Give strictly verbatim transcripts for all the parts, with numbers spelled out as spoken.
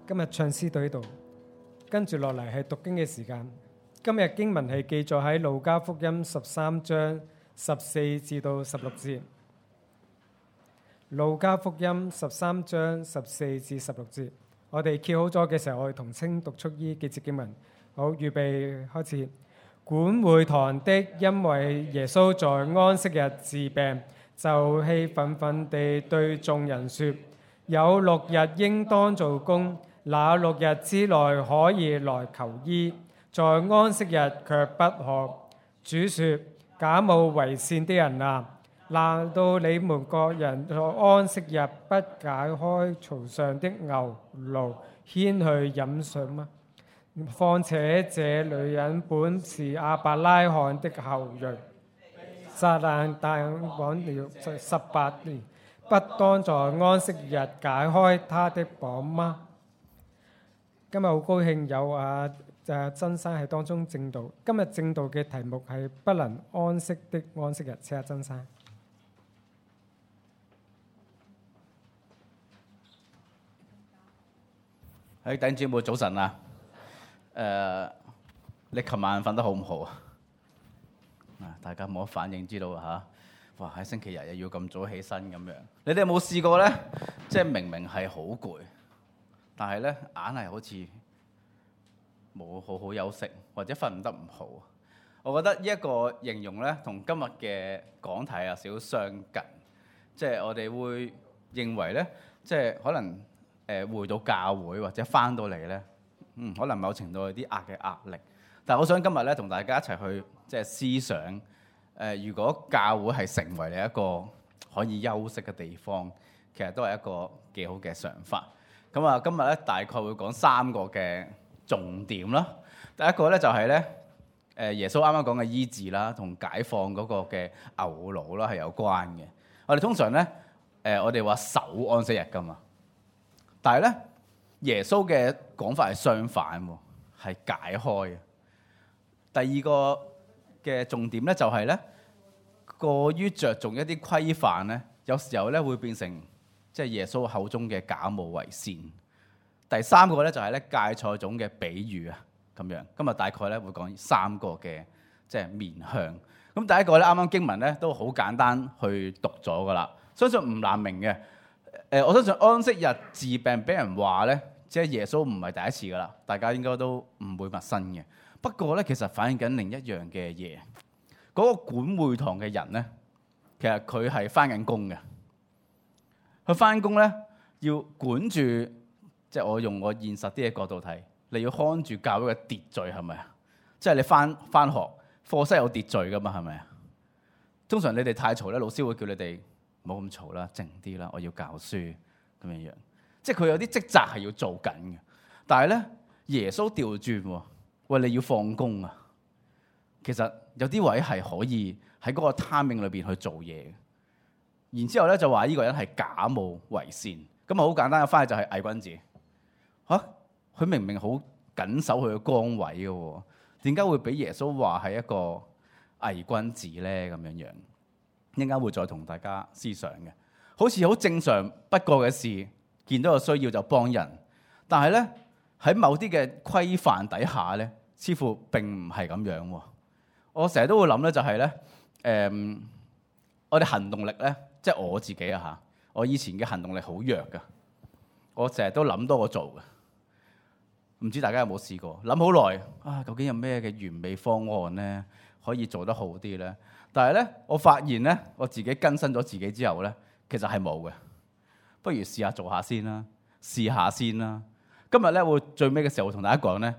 今日唱詩到呢度，跟住落嚟係讀經嘅時間。今日經文係記載喺路加福音十三章十四至到十六節。路加福音十三章十四至十六節，我哋揭好咗嘅時候，我哋同聲讀出呢幾節經文。好，預備開始。管會堂的因為耶穌在安息日治病，就氣憤憤地對眾人說：有六日應當做工，那六日之內可以來求醫，在安息日卻不可。主說：假冒為善的人啊，難道你們各人在安息日不解開槽上的牛驢牽去飲水嗎？況且這女人本是亞伯拉罕的後裔，撒旦但枉了十八年，不當在安息日解開他的綁嗎？今日好高興有啊誒曾生喺當中證道。今日證道嘅題目係不能安息的安息日。請下曾生。喺弟兄姊妹早晨啊！誒、uh, 你琴晚瞓得好唔好啊？啊，大家冇乜反應，知道啊嚇！哇，喺星期日又要咁早起身咁樣，你哋有冇試過咧？即係明明係好攰，但係咧硬係好似冇好好休息，或者瞓唔得唔好。我覺得呢一個形容咧，同今日嘅講題有少少相近。即係我哋會認為咧，即係可能誒回到教會或者翻到嚟咧。嗯，可能某程度有啲壓嘅壓力，但係我想今日咧同大家一齊去即係思想，誒、呃，如果教會係成為你一個可以休息嘅地方，其實都係一個幾好嘅想法。咁啊，今日咧大概會講三個嘅重點啦。第一個咧就係咧，誒耶穌啱啱講嘅醫治啦，同解放嗰個嘅牛驢啦係有關嘅。我哋通常咧，誒、呃、我哋話守安息日㗎嘛，但係咧。耶穌嘅講法係相反喎，係解開。第二個嘅重點咧就係咧，過於着重一啲規範咧，有時候咧會變成即係耶穌口中嘅假冒為善。第三個咧就係咧芥菜種嘅比喻啊，咁樣。今日大概咧會講三個嘅即係面向。咁第一個咧啱啱經文咧都好簡單去讀咗噶啦，相信唔難明嘅。誒，我相信安息日治病俾人話咧。即係耶穌唔係第一次噶啦，大家應該都唔會陌生嘅。不過咧，其實反映緊另一樣嘅嘢。嗰個管會堂嘅人咧，其實佢係翻緊工嘅。佢翻工咧要管住，即係我用我現實啲嘅角度睇，你要看住教會嘅秩序係咪啊？即係你翻翻學課室有秩序噶嘛係咪啊？通常你哋太嘈咧，老師會叫你哋唔好咁嘈啦，靜啲啦，我要教書咁樣樣。即係佢有啲職責係要做緊嘅，但係咧耶穌調轉喎，喂，你要放工啊！其實有啲位係可以喺嗰個 timing 裏邊去做嘢嘅。然之後咧就話呢個人係假冒為善，咁啊好簡單嘅翻譯就係偽君子嚇。佢明明好緊守佢嘅崗位嘅喎，點解會俾耶穌話係一個偽君子咧？咁樣樣一陣間會再同大家思想嘅，好似好正常不過嘅事。見到有需要就幫人，但係咧喺某啲嘅規範底下咧，似乎並唔係咁樣喎。我成日都會諗咧，就係咧，誒，我哋行動力咧，即係我自己啊嚇，我以前嘅行動力好弱噶，我成日都諗多過做嘅。唔知大家有冇試過諗好耐啊？究竟有咩嘅完美方案咧，可以做得好啲咧？但係咧，我發現咧，我自己更新咗自己之後咧，其實係冇嘅。不如試下做下先啦，試下先啦。今日咧會最尾嘅時候會同大家講咧，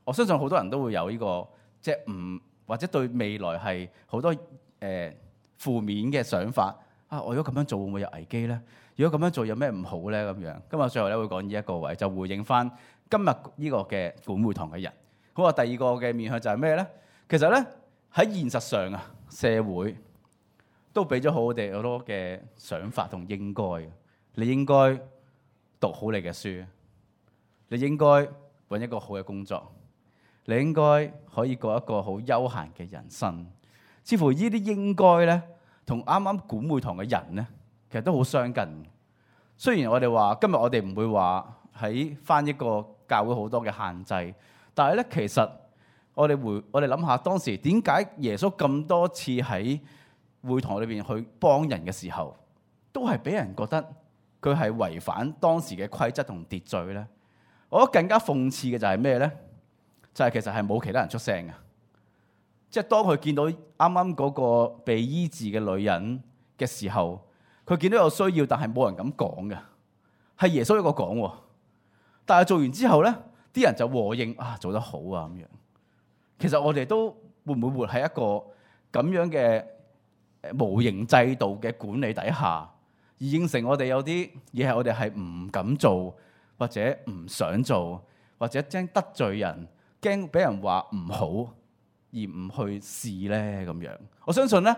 我相信好多人都會有呢個即係唔或者對未來係好多誒、呃、負面嘅想法啊！我如果咁樣做會唔會有危機咧？如果咁樣做有咩唔好咧？咁樣今日最後咧會講呢一個位，就回應翻今日呢個嘅管會堂嘅人。好啊，第二個嘅面向就係咩咧？其實咧喺現實上啊，社會都俾咗好哋好多嘅想法同應該嘅。你應該讀好你嘅書，你應該揾一個好嘅工作，你應該可以過一個好悠閒嘅人生。似乎呢啲應該咧，同啱啱管會堂嘅人咧，其實都好相近。雖然我哋話今日我哋唔會話喺翻一個教會好多嘅限制，但係咧其實我哋回我哋諗下當時點解耶穌咁多次喺會堂裏邊去幫人嘅時候，都係俾人覺得佢係違反當時嘅規則同秩序咧？我覺得更加諷刺嘅就係咩咧？就係、是、其實係冇其他人出聲嘅，即係當佢見到啱啱嗰個被醫治嘅女人嘅時候，佢見到有需要，但係冇人敢講嘅，係耶穌一個講喎。但係做完之後咧，啲人就和應啊，做得好啊咁樣。其實我哋都會唔會活喺一個咁樣嘅無形制度嘅管理底下，而應承我哋有啲嘢係我哋係唔敢做，或者唔想做，或者驚得罪人，驚俾人話唔好，而唔去試咧咁樣。我相信咧，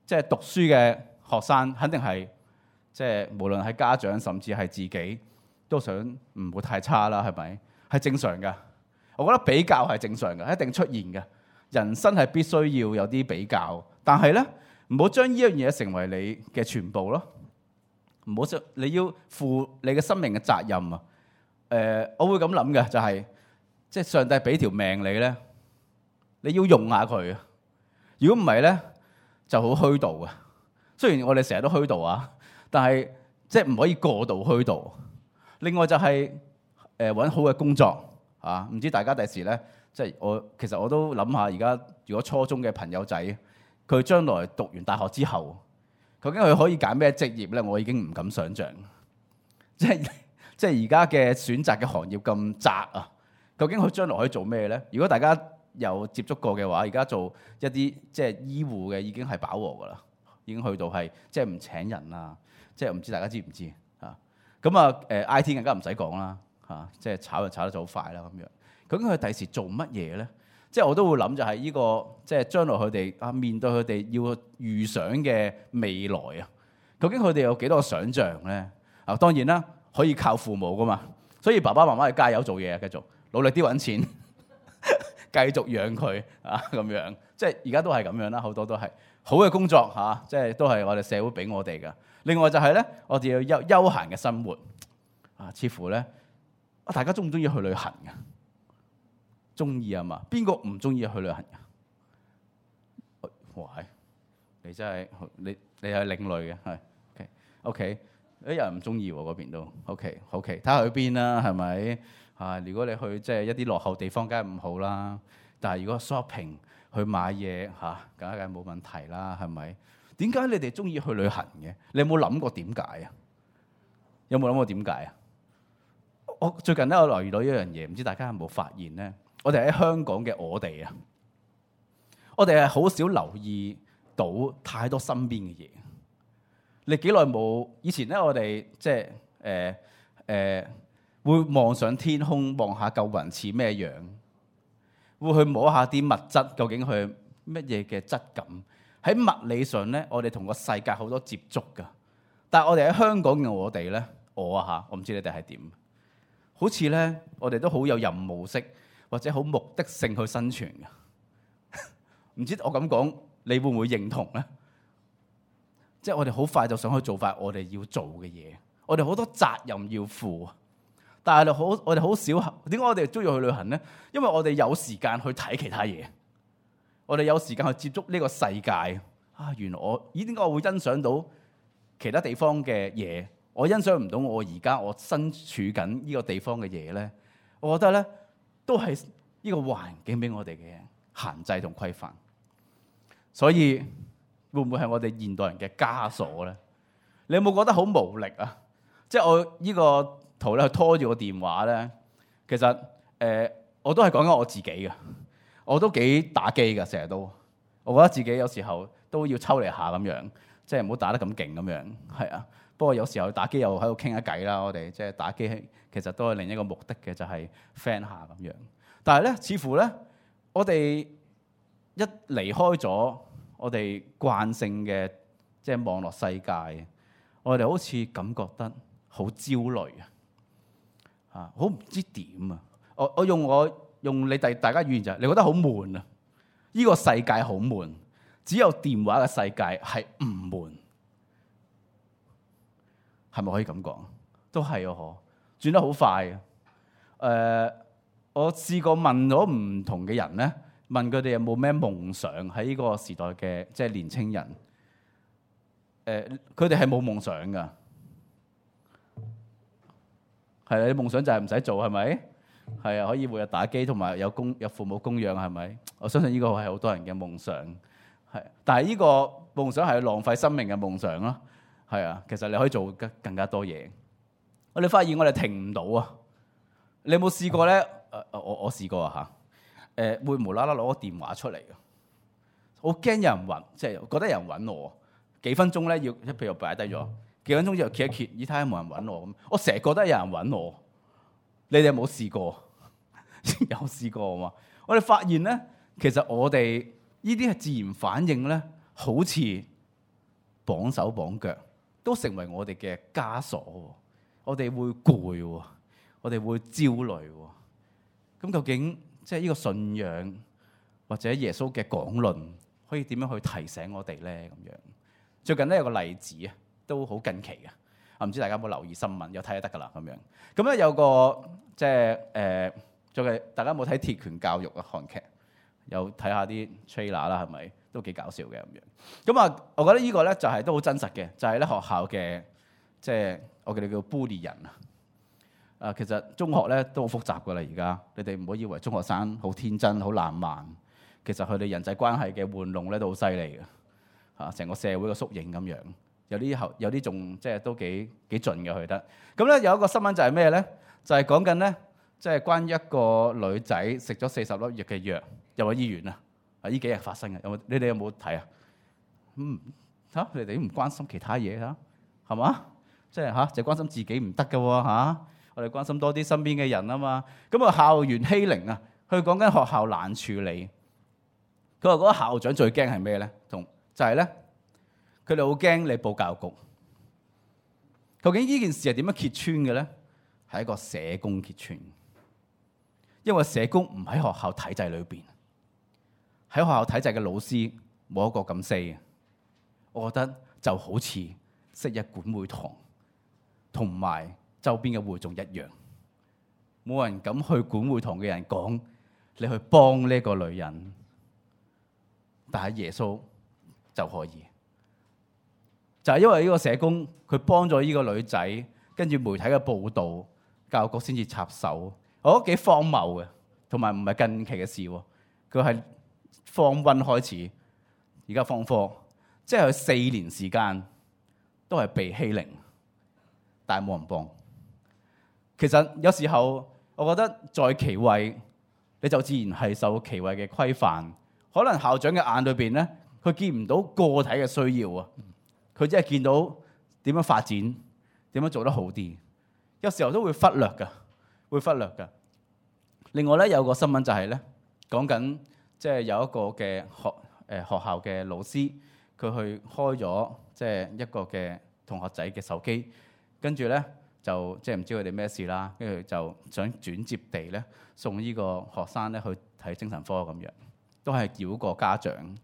即係讀書嘅學生肯定係即係無論係家長甚至係自己都想唔會太差啦，係咪？係正常嘅。我覺得比較係正常嘅，一定出現嘅。人生係必須要有啲比較，但係咧唔好將呢樣嘢成為你嘅全部咯。唔好將你要負你嘅生命嘅責任啊！誒、呃，我會咁諗嘅就係、是，即係上帝俾條命你咧，你要用下佢啊！如果唔係咧，就好虛度啊！雖然我哋成日都虛度啊，但係即係唔可以過度虛度。另外就係誒揾好嘅工作。啊！唔知大家第時咧，即係我其實我都諗下，而家如果初中嘅朋友仔，佢將來讀完大學之後，究竟佢可以揀咩職業咧？我已經唔敢想像。即係即係而家嘅選擇嘅行業咁窄啊！究竟佢將來可以做咩咧？如果大家有接觸過嘅話，而家做一啲即係醫護嘅已經係飽和噶啦，已經去到係即係唔請人啦。即係唔知大家知唔知啊？咁啊誒 I T 更加唔使講啦。嚇、啊！即係炒就炒得就好快啦咁樣。究竟佢第時做乜嘢咧？即係我都會諗就係呢、這個，即係將來佢哋啊面對佢哋要預想嘅未來啊。究竟佢哋有幾多個想像咧？啊，當然啦，可以靠父母噶嘛。所以爸爸媽媽係加油做嘢啊，繼續努力啲揾錢，繼續養佢啊咁樣。即係而家都係咁樣啦，好多都係好嘅工作嚇、啊，即係都係我哋社會俾我哋噶。另外就係咧，我哋要休休閒嘅生活啊，似乎咧。大家中唔中意去旅行㗎？中意啊嘛？邊個唔中意去旅行㗎？哇！你真係你你係另類嘅，係 OK OK。有人唔中意喎，嗰邊都 OK OK。睇下去邊啦，係咪啊？如果你去即係一啲落後地方，梗係唔好啦。但係如果 shopping 去買嘢嚇，梗係冇問題啦，係咪？點解你哋中意去旅行嘅？你有冇諗過點解啊？有冇諗過點解啊？我最近咧，我留意到一樣嘢，唔知大家有冇發現咧？我哋喺香港嘅我哋啊，我哋係好少留意到太多身邊嘅嘢。你幾耐冇？以前咧，我哋即係誒誒，會望上天空，望下嚿雲似咩樣，會去摸下啲物質，究竟佢乜嘢嘅質感？喺物理上咧，我哋同個世界好多接觸㗎。但係我哋喺香港嘅我哋咧，我啊嚇，我唔知你哋係點。好似咧，我哋都好有任務式或者好目的性去生存嘅。唔知我咁講，你會唔會認同咧？即係我哋好快就想去做翻我哋要做嘅嘢，我哋好多責任要負。但係好，我哋好少。點解我哋中意去旅行咧？因為我哋有時間去睇其他嘢，我哋有時間去接觸呢個世界。啊，原來我咦點解我會欣賞到其他地方嘅嘢？我欣賞唔到我而家我身處緊呢個地方嘅嘢咧，我覺得咧都係呢個環境俾我哋嘅限制同規範。所以會唔會係我哋現代人嘅枷鎖咧？你有冇覺得好無力啊？即係我呢個圖咧，拖住個電話咧，其實誒、呃、我都係講緊我自己嘅，我都幾打機㗎，成日都，我覺得自己有時候都要抽離下咁樣，即係唔好打得咁勁咁樣，係啊。不過有時候打機又喺度傾下偈啦，我哋即係打機其實都係另一個目的嘅，就係 friend 下咁樣。但係咧，似乎咧，我哋一離開咗我哋慣性嘅即係網絡世界，我哋好似感覺得好焦慮啊！啊，好唔知點啊！我我用我用你第大家語言就係，你覺得好悶啊！呢個世界好悶，只有電話嘅世界係唔悶。係咪可以咁講？都係啊！嗬，轉得好快嘅。誒、呃，我試過問咗唔同嘅人咧，問佢哋有冇咩夢想喺呢個時代嘅即係年青人。誒、呃，佢哋係冇夢想噶。係啊，你夢想就係唔使做，係咪？係啊，可以每日打機，同埋有供有父母供養，係咪？我相信呢個係好多人嘅夢想。係，但係呢個夢想係浪費生命嘅夢想咯。係啊，其實你可以做更更加多嘢。我哋發現我哋停唔到啊！你有冇試過咧？誒，我我試過啊嚇。誒，會無啦啦攞個電話出嚟嘅，好驚有人揾，即係覺得有人揾我。幾分鐘咧要，即譬如擺低咗，幾分鐘之後揭一揭，咦睇下有冇人揾我咁。我成日覺得有人揾我。你哋有冇試過？有試過啊嘛！我哋發現咧，其實我哋呢啲係自然反應咧，好似綁手綁腳，都成為我哋嘅枷鎖。我哋會攰，我哋會焦慮。咁究竟即係呢個信仰或者耶穌嘅講論，可以點樣去提醒我哋咧？咁樣最近咧有個例子啊，都好近期嘅。啊，唔知大家有冇留意新聞？有睇就得噶啦咁樣。咁咧有個即係誒，最近大家有冇睇《鐵拳教育》啊韓劇？有睇下啲 trailer 啦，係咪都幾搞笑嘅咁樣？咁啊，我覺得呢個咧就係都好真實嘅，就係咧學校嘅即係我哋叫 bully 人啊。啊，其實中學咧都好複雜噶啦，而家你哋唔好以為中學生好天真、好爛漫，其實佢哋人際關係嘅玩弄咧都好犀利嘅嚇，成個社會嘅縮影咁樣。有啲後有啲仲即係都幾幾盡嘅去得。咁咧有一個新聞就係咩咧？就係講緊咧，即係關於一個女仔食咗四十粒藥嘅藥，入咗醫院啊！啊，呢幾日發生嘅，有冇？你哋有冇睇啊？嗯，嚇你哋都唔關心其他嘢嚇，係嘛？即係嚇，就關心自己唔得嘅喎嚇。我哋關心多啲身邊嘅人啊嘛。咁啊，校園欺凌啊，佢講緊學校難處理。佢話嗰個校長最驚係咩咧？同就係咧。佢哋好驚你報教育局。究竟呢件事係點樣揭穿嘅咧？係一個社工揭穿。因為社工唔喺學校體制裏邊，喺學校體制嘅老師冇一個咁 say 嘅。我覺得就好似昔日管會堂同埋周邊嘅會眾一樣，冇人敢去管會堂嘅人講你去幫呢個女人，但係耶穌就可以。就係因為呢個社工佢幫咗呢個女仔，跟住媒體嘅報導，教育局先至插手，我覺得幾荒謬嘅，同埋唔係近期嘅事喎。佢係form one開始，而家form four，即係佢四年時間都係被欺凌，但係冇人幫。其實有時候我覺得在其位，你就自然係受其位嘅規範。可能校長嘅眼裏邊咧，佢見唔到個體嘅需要啊。佢只係見到點樣發展，點樣做得好啲，有時候都會忽略㗎，會忽略㗎。另外咧，有個新聞就係咧，講緊即係有一個嘅學誒學校嘅老師，佢去開咗即係一個嘅同學仔嘅手機，跟住咧就即係唔知佢哋咩事啦，跟住就想轉接地咧送呢個學生咧去睇精神科咁樣，都係繞過家長。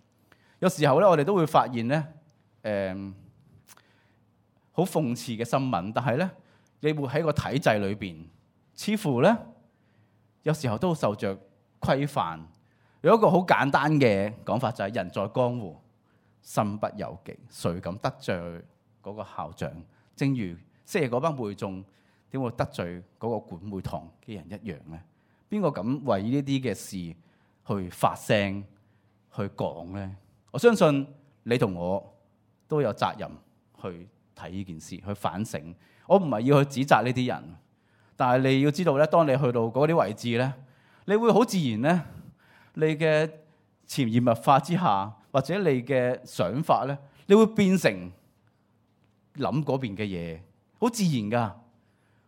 有時候咧，我哋都會發現咧，誒、嗯。好諷刺嘅新聞，但係咧，你會喺個體制裏邊，似乎咧有時候都受着規範。有一個好簡單嘅講法就係、是、人在江湖，身不由己，誰敢得罪嗰個校長？正如昔日嗰班會眾點會得罪嗰個管會堂嘅人一樣咧？邊個敢為呢啲嘅事去發聲去講咧？我相信你同我都有責任去睇呢件事，去反省。我唔係要去指責呢啲人，但係你要知道咧，當你去到嗰啲位置咧，你會好自然咧，你嘅潛移默化之下，或者你嘅想法咧，你會變成諗嗰邊嘅嘢，好自然噶。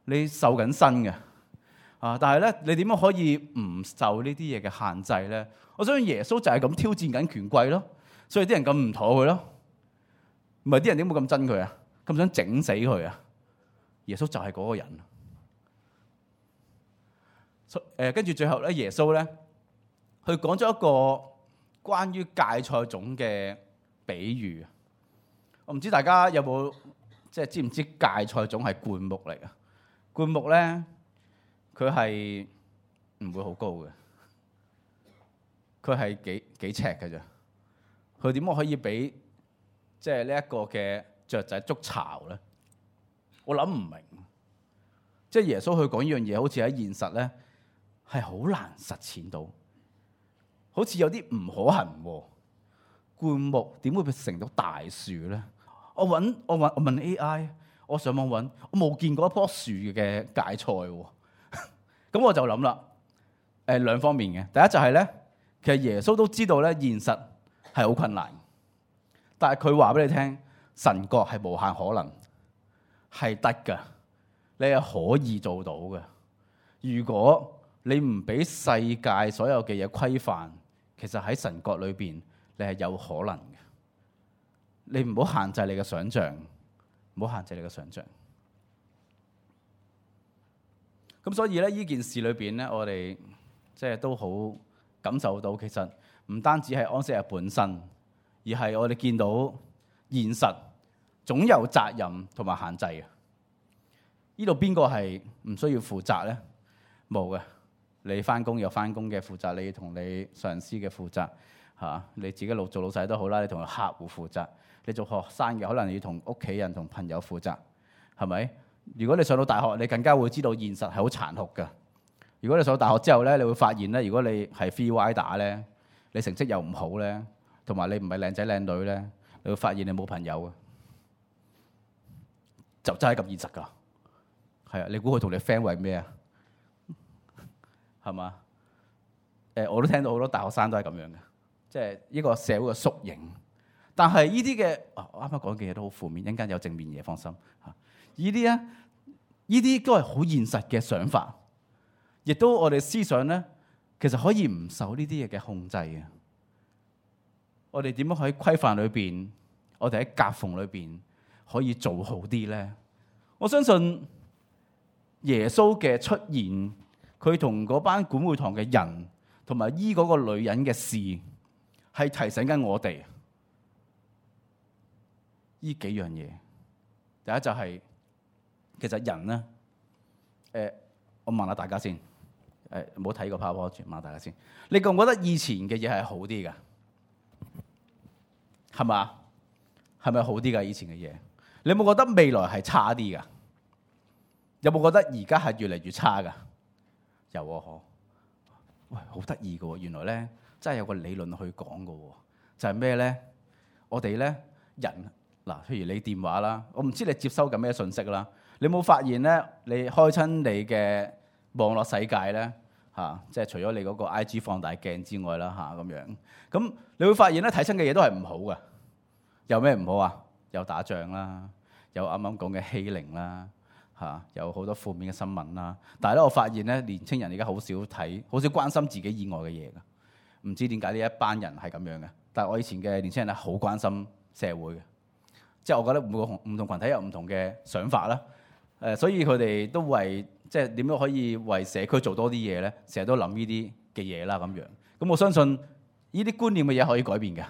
你受緊身嘅啊，但係咧，你點樣可以唔受呢啲嘢嘅限制咧？我相信耶穌就係咁挑戰緊權貴咯，所以啲人咁唔妥佢咯。唔係啲人點會咁憎佢啊？咁想整死佢啊！耶穌就係嗰個人。誒，跟住最後咧，耶穌咧，佢講咗一個關於芥菜種嘅比喻。我唔知大家有冇即係知唔知芥菜種係灌木嚟啊？灌木咧，佢係唔會好高嘅，佢係幾幾尺嘅啫。佢點解可以俾即係呢一個嘅雀仔築巢咧？我諗唔明。即係耶穌去講呢樣嘢，好似喺現實咧係好難實踐到，好似有啲唔可行喎。灌木點會成到大樹咧？我揾我揾我問 A I， 我上網揾，我冇見過一棵樹嘅芥菜喎。咁我就諗啦，誒兩方面嘅。第一就係咧，其實耶穌都知道咧現實係好困難，但係佢話俾你聽，神國係無限可能，係得㗎，你係可以做到嘅。如果你唔俾世界所有嘅嘢規範，其實喺神國裏邊，你係有可能嘅。你唔好限制你嘅想像，唔好限制你嘅想像。咁所以咧，呢件事裏邊咧，我哋即係都好感受到，其實唔單止係安息日本身，而係我哋見到現實總有責任同埋限制嘅。呢度邊個係唔需要負責咧？冇嘅。你翻工有翻工嘅負責，你同你上司嘅負責嚇，你自己老做老細都好啦，你同客戶負責。你做學生嘅，可能要同屋企人同朋友負責，係咪？如果你上到大學，你更加會知道現實係好殘酷嘅。如果你上到大學之後咧，你會發現咧，如果你係 free rider 咧，你成績又唔好咧，同埋你唔係靚仔靚女咧，你會發現你冇朋友嘅，就真係咁現實㗎。係啊，你估佢同你 friend 為咩啊？係嘛？誒，我都聽到好多大學生都係咁樣嘅，即係呢個社會嘅縮影。但係呢啲嘅，我啱啱講嘅嘢都好負面，一陣間有正面嘢，放心嚇。呢啲咧，呢啲都係好現實嘅想法，亦都我哋思想咧，其實可以唔受呢啲嘢嘅控制嘅。我哋點樣喺規範裏邊，我哋喺夾縫裏邊可以做好啲咧？我相信耶穌嘅出現，佢同嗰班管會堂嘅人，同埋醫嗰個女人嘅事，係提醒緊我哋。呢幾樣嘢，第一就係、是、其實人咧，誒、呃，我問下大家先，誒唔好睇個 PowerPoint，問下大家先，你覺唔覺得以前嘅嘢係好啲㗎？係嘛？係咪好啲㗎？以前嘅嘢，你有冇覺得未來係差啲㗎？有冇覺得而家係越嚟越差㗎？有啊，嗬！喂，好得意㗎喎，原來咧真係有個理論去講㗎喎，就係咩咧？我哋咧人。嗱，譬如你電話啦，我唔知你接收緊咩信息啦。你冇發現咧？你開親你嘅網絡世界咧，嚇、啊，即係除咗你嗰個 I G 放大鏡之外啦，嚇咁樣。咁你會發現咧，睇親嘅嘢都係唔好嘅。有咩唔好啊？有打仗啦，有啱啱講嘅欺凌啦，嚇、啊，有好多負面嘅新聞啦。但係咧，我發現咧，年青人而家好少睇，好少關心自己以外嘅嘢㗎。唔知點解呢一班人係咁樣嘅？但係我以前嘅年青人咧，好關心社會嘅。即係我覺得每個唔同群體有唔同嘅想法啦，誒，所以佢哋都為即係點樣可以為社區做多啲嘢咧？成日都諗呢啲嘅嘢啦咁樣。咁我相信呢啲觀念嘅嘢可以改變嘅，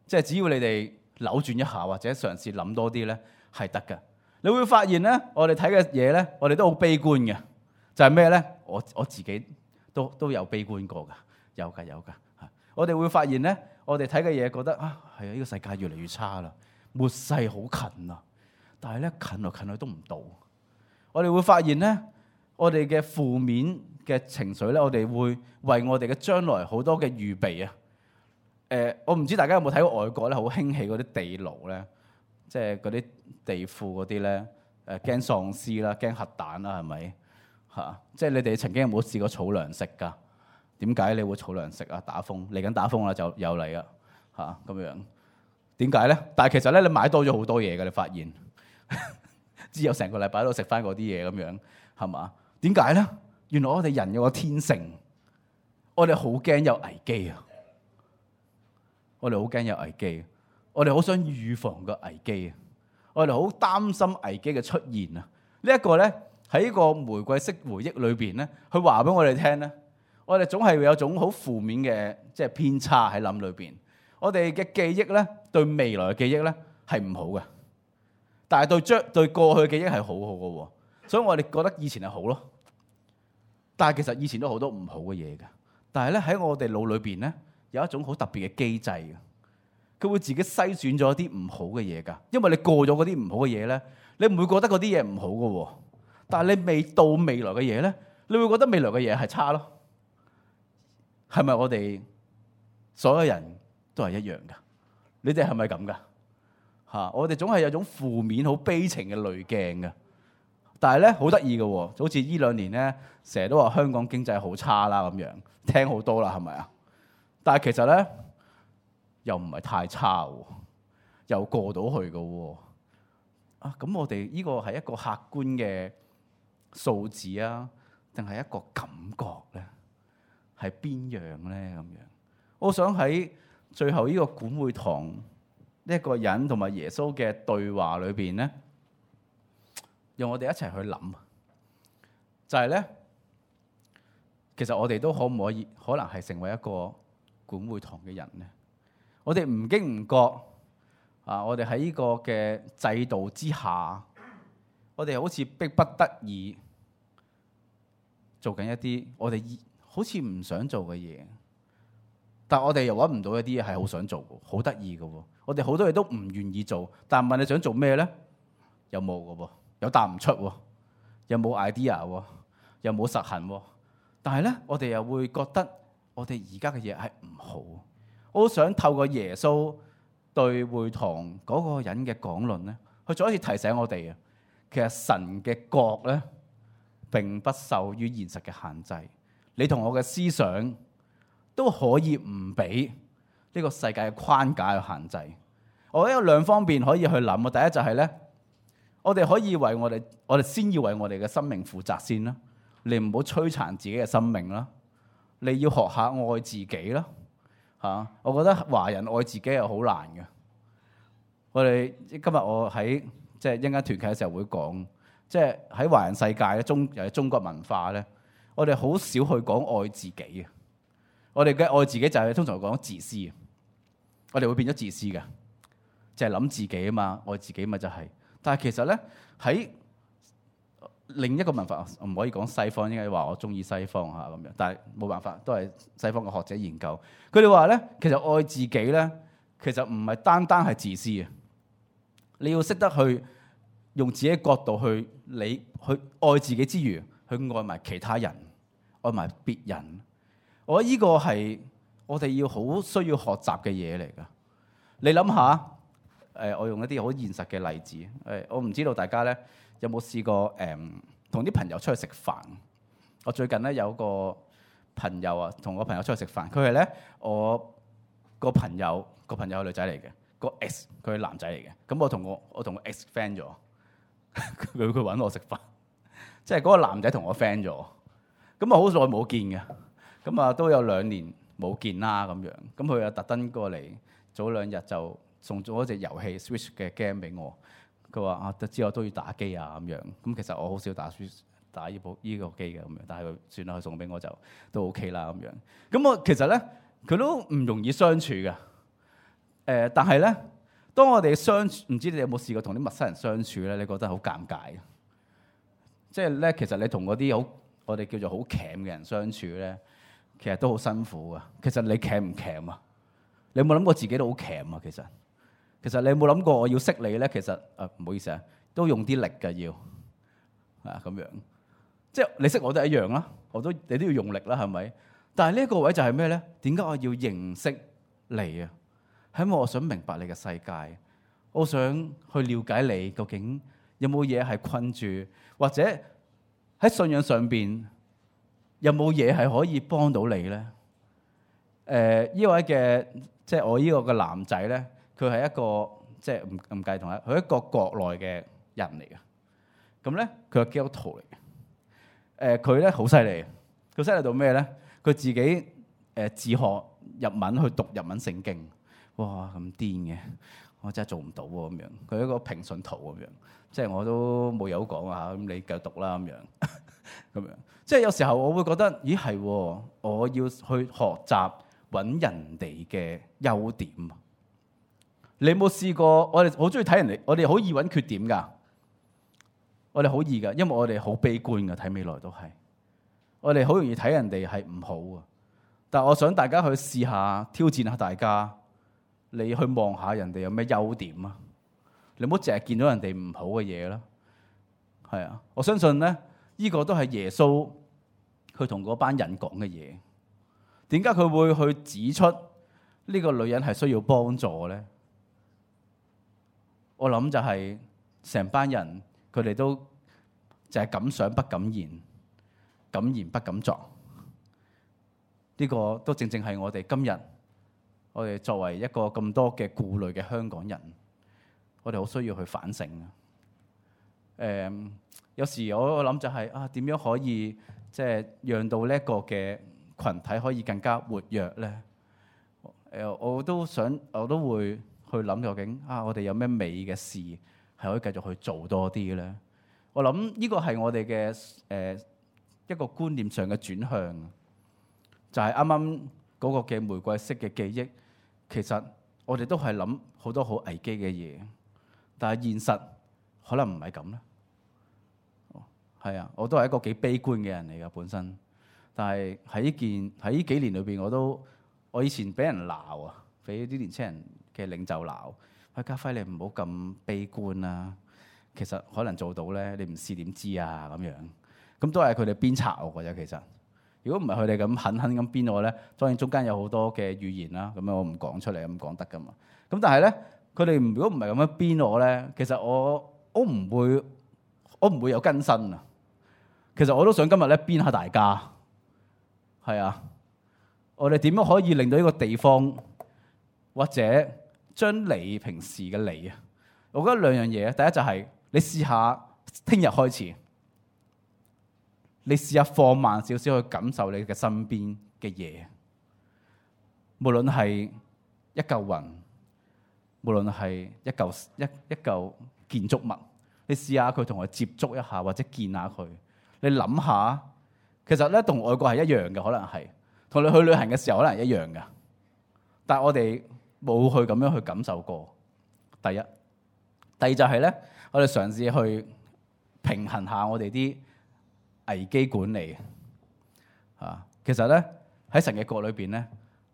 即係只要你哋扭轉一下或者嘗試諗多啲咧，係得嘅。你會發現咧，我哋睇嘅嘢咧，我哋都好悲觀嘅。就係咩咧？我我自己都都有悲觀過㗎，有㗎有㗎。我哋會發現咧，我哋睇嘅嘢覺得啊，係啊，呢個世界越嚟越差啦。末世好近啊，但係咧近來近去都唔到。我哋會發現咧，我哋嘅負面嘅情緒咧，我哋會為我哋嘅將來好多嘅預備啊。誒、呃，我唔知大家有冇睇過外國咧，好興起嗰啲地牢咧，即係嗰啲地庫嗰啲咧，誒驚喪屍啦，驚核彈啦，係咪嚇？即係你哋曾經有冇試過儲糧食㗎？點解你會儲糧食啊？打風嚟緊打風啦，就又嚟啊嚇咁樣。點解咧？但係其實咧，你買多咗好多嘢嘅，你發現之後成個禮拜都食翻嗰啲嘢咁樣，係嘛？點解咧？原來我哋人有個天性，我哋好驚有危機啊！我哋好驚有危機，我哋好想預防個危機啊！我哋好擔心危機嘅出現啊！這個、呢一個咧喺呢個玫瑰式回憶裏邊咧，佢話俾我哋聽咧，我哋總係會有種好負面嘅即係偏差喺諗裏邊。我哋嘅記憶咧，對未來嘅記憶咧係唔好嘅，但係對將對過去嘅記憶係好好嘅喎。所以我哋覺得以前係好咯。但係其實以前都好多唔好嘅嘢㗎。但係咧喺我哋腦裏邊咧有一種好特別嘅機制嘅，佢會自己篩選咗一啲唔好嘅嘢㗎。因為你過咗嗰啲唔好嘅嘢咧，你唔會覺得嗰啲嘢唔好㗎喎。但係你未到未來嘅嘢咧，你會覺得未來嘅嘢係差咯。係咪我哋所有人都係一樣㗎？你哋係咪咁㗎？嚇！我哋總係有種負面、好悲情嘅濾鏡㗎。但係咧好得意嘅喎，好似呢兩年咧，成日都話香港經濟好差啦咁樣，聽好多啦，係咪啊？但係其實咧又唔係太差喎，又過到去嘅喎。啊，咁我哋呢個係一個客觀嘅數字啊，定係一個感覺咧？係邊樣咧？咁樣，我想喺最後呢個管會堂呢一個人同埋耶穌嘅對話裏邊咧，讓我哋一齊去諗，就係咧，其實我哋都可唔可以可能係成為一個管會堂嘅人咧？我哋唔經唔覺啊！我哋喺呢個嘅制度之下，我哋好似迫不得已做緊一啲我哋好似唔想做嘅嘢，但係我哋又揾唔到一啲嘢係好想做嘅，好得意嘅喎。我哋好多嘢都唔願意做，但係問你想做咩咧？有冇嘅喎？有答唔出喎，又冇 idea 喎，又冇實行喎。但係咧，我哋又會覺得我哋而家嘅嘢係唔好。我好想透過耶穌對會堂嗰個人嘅講論咧，去再一次提醒我哋啊，其實神嘅國咧並不受於現實嘅限制。你同我嘅思想都可以唔俾呢個世界嘅框架去限制。我覺得有兩方面可以去諗啊。第一就係咧，我哋可以為我哋，我哋先要為我哋嘅生命負責先啦。你唔好摧殘自己嘅生命啦。你要學下愛自己啦。嚇，我覺得華人愛自己係好難嘅。我哋今日我喺即係一陣間團契嘅時候會講，即係喺華人世界咧，中又係中國文化咧，我哋好少去講愛自己嘅。我哋嘅愛自己就係通常講自私。我哋會變咗自私嘅，就係諗自己啊嘛，愛自己嘛就係。但係其實咧喺另一個文化，唔可以講西方，應該話我中意西方嚇咁樣。但係冇辦法，都係西方嘅學者研究。佢哋話咧，其實愛自己咧，其實唔係單單係自私嘅。你要識得去用自己嘅角度去你去愛自己之餘，去愛埋其他人，愛埋別人。我覺得呢個係我哋要好需要學習嘅嘢嚟㗎。你諗下，誒，我用一啲好現實嘅例子。誒，我唔知道大家咧有冇試過誒同啲朋友出去食飯。我最近咧有個朋友啊，同我朋友出去食飯。佢係咧我個朋友個朋友係女仔嚟嘅，個 ex 佢係男仔嚟嘅。咁我同我我同個 ex friend 咗，佢佢揾我食飯，即係嗰個男仔同我 friend 咗。咁啊好耐冇見嘅。咁啊都有兩年冇見啦咁樣，咁佢又特登過嚟，早兩日就送咗一隻遊戲 Switch 嘅 game 俾我。佢話啊，知我都要打機啊咁樣。咁其實我好少打 Switch 打呢部呢個機嘅咁樣，但係佢算啦，佢送俾我就都 OK 啦咁樣。咁我其實咧佢都唔容易相處嘅。誒、呃，但係咧，當我哋相處，唔知你有冇試過同啲陌生人相處咧？你覺得好尷尬嘅。即係咧，其實你同嗰啲好我哋叫做好鉗嘅人相處咧，其實都好辛苦噶。其實你鉗唔鉗啊？你有冇諗過自己都好鉗啊？其實，其實你有冇諗過我要識你咧？其實啊，唔好意思啊，都用啲力㗎要啊咁樣。即係你識我都係一樣啦，我都你都要用力啦，係咪？但係呢一個位就係咩咧？點解我要認識你啊？係因為我想明白你嘅世界，我想去了解你究竟有冇嘢係困住，或者喺信仰上邊有冇嘢係可以幫到你咧？誒、呃，呢位嘅即係我呢個嘅男仔咧，佢係一個即係唔唔計同佢，佢係一個國內嘅人嚟嘅。咁咧，佢係基督徒嚟嘅。誒、呃，佢咧好犀利，佢犀利到咩咧？佢自己誒、呃、自學日文去讀日文聖經。哇，咁癲嘅，我真係做唔到喎咁樣。佢係一個平信徒咁樣，即係我都冇有講啊。咁你繼續讀啦咁樣，咁樣。即係有時候我會覺得，咦係，我要去學習揾人哋嘅優點。你有冇試過？我哋好中意睇人哋，我哋好易揾缺點㗎。我哋好易㗎，因為我哋好悲觀㗎，睇未來都係。我哋好容易睇人哋係唔好啊。但係我想大家去試下挑戰下大家，你去望下人哋有咩優點啊？你唔好淨係見到人哋唔好嘅嘢啦。係啊，我相信咧，呢個都係耶穌佢同嗰班人講嘅嘢。點解佢會去指出呢個女人係需要幫助咧？我諗就係成班人佢哋都就係敢想不敢言，敢言不敢作。呢個都正正係我哋今日，我哋作為一個咁多嘅顧慮嘅香港人，我哋好需要去反省啊！誒、um，有時我我諗就係、是、啊，點樣可以即係、就是、讓到呢一個嘅群體可以更加活躍咧？誒，我都想，我都會去諗究竟啊，我哋有咩美嘅事係可以繼續去做多啲咧？我諗呢個係我哋嘅誒一個觀念上嘅轉向，就係啱啱嗰個嘅玫瑰色嘅記憶。其實我哋都係諗好多好危機嘅嘢，但係現實可能唔係咁咧。係啊，我都係一個幾悲觀嘅人嚟㗎本身，但係喺呢件喺呢幾年裏邊，我都我以前俾人鬧啊，俾啲年青人嘅領袖鬧。喂，家輝你唔好咁悲觀啦、啊，其實可能做到咧，你唔試點知啊咁樣。咁都係佢哋鞭策我㗎啫。其實如果唔係佢哋咁狠狠咁鞭我咧，當然中間有好多嘅語言啦，咁樣我唔講出嚟咁講得㗎嘛。咁但係咧，佢哋如果唔係咁樣鞭我咧，其實我我唔會我唔會有更新啊。其實我都想今日咧鞭下大家，係啊，我哋點樣可以令到呢個地方或者將你平時嘅你啊，我覺得兩樣嘢。第一就係你試下聽日開始，你試下放慢少少去感受你嘅身邊嘅嘢，無論係一嚿雲，無論係一嚿一一嚿建築物，你試下佢同佢接觸一下或者見下佢。你諗下，其實咧同外國係一樣嘅，可能係同你去旅行嘅時候可能係一樣嘅，但係我哋冇去咁樣去感受過。第一，第二就係咧，我哋嘗試去平衡下我哋啲危機管理啊。其實咧喺神嘅國裏邊咧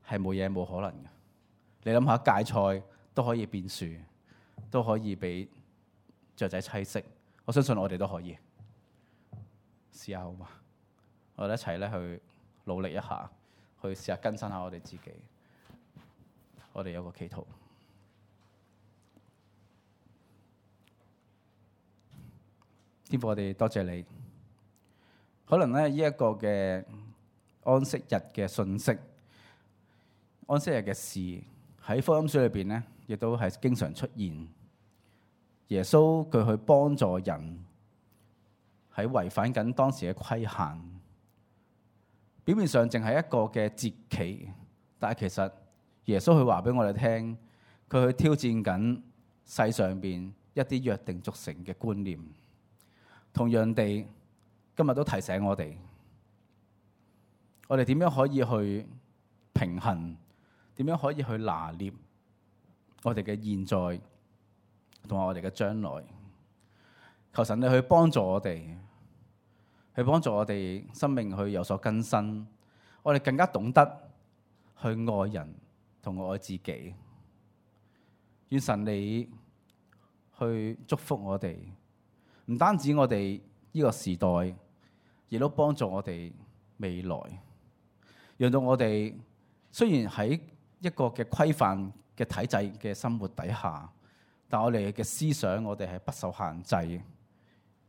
係冇嘢冇可能嘅。你諗下，芥菜都可以變樹，都可以俾雀仔棲息。我相信我哋都可以。試下好嘛？我哋一齊咧去努力一下，去試下更新下我哋自己。我哋有個祈禱，天父，我哋多謝你。可能咧呢一個嘅安息日嘅信息、安息日嘅事喺福音書裏邊咧，亦都係經常出現。耶穌佢去幫助人。喺違反緊當時嘅規限，表面上淨係一個嘅節期，但係其實耶穌佢話俾我哋聽，佢去挑戰緊世上邊一啲約定俗成嘅觀念。同樣地，今日都提醒我哋，我哋點樣可以去平衡，點樣可以去拿捏我哋嘅現在同埋我哋嘅將來。求神你去幫助我哋。去幫助我哋生命去有所更新，我哋更加懂得去愛人同愛自己。願神你去祝福我哋，唔單止我哋呢個時代，亦都幫助我哋未來，讓到我哋雖然喺一個嘅規範嘅體制嘅生活底下，但我哋嘅思想我哋係不受限制。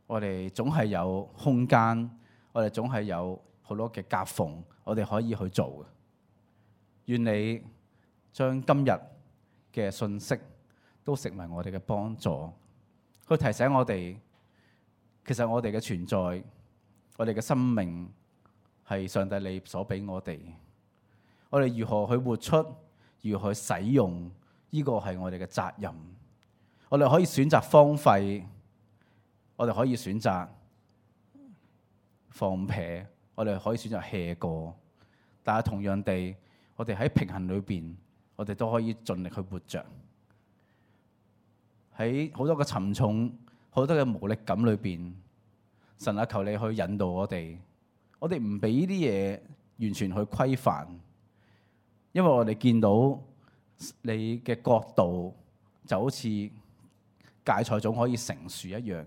我哋總係有空間，我哋總係有好多嘅夾縫，我哋可以去做嘅。願你將今日嘅信息都成為我哋嘅幫助，去提醒我哋，其實我哋嘅存在，我哋嘅生命係上帝你所俾我哋。我哋如何去活出，如何去使用，呢個係我哋嘅責任。我哋可以選擇荒廢。我哋可以選擇放撇，我哋可以選擇 hea 過，但係同樣地，我哋喺平衡裏邊，我哋都可以盡力去活着。喺好多個沉重好多嘅無力感裏邊，神啊，求你去引導我哋，我哋唔俾呢啲嘢完全去規範，因為我哋見到你嘅國度就好似芥菜種可以成樹一樣，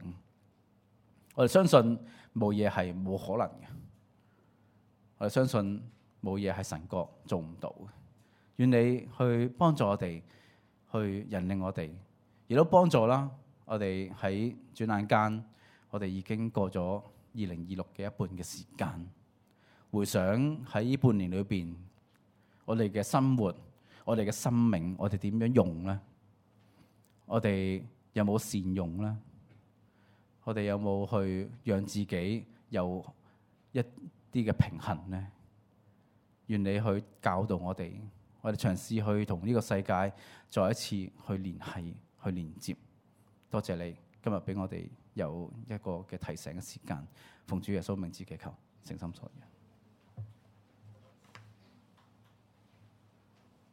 我哋相信冇嘢係冇可能嘅，我哋相信冇嘢係神國做唔到嘅。願你去幫助我哋，去引領我哋，亦都幫助啦。我哋喺轉眼間，我哋已經過咗二零二六嘅一半嘅時間。回想喺呢半年裏邊，我哋嘅生活，我哋嘅生命，我哋點樣用呢？我哋有冇善用呢？我哋有冇去讓自己有一啲嘅平衡呢？願你去教導我哋，我哋嘗試去同呢個世界再一次去聯繫、去連接。多謝你今日俾我哋有一個嘅提醒嘅時間，奉主耶穌名字祈求，誠心所願。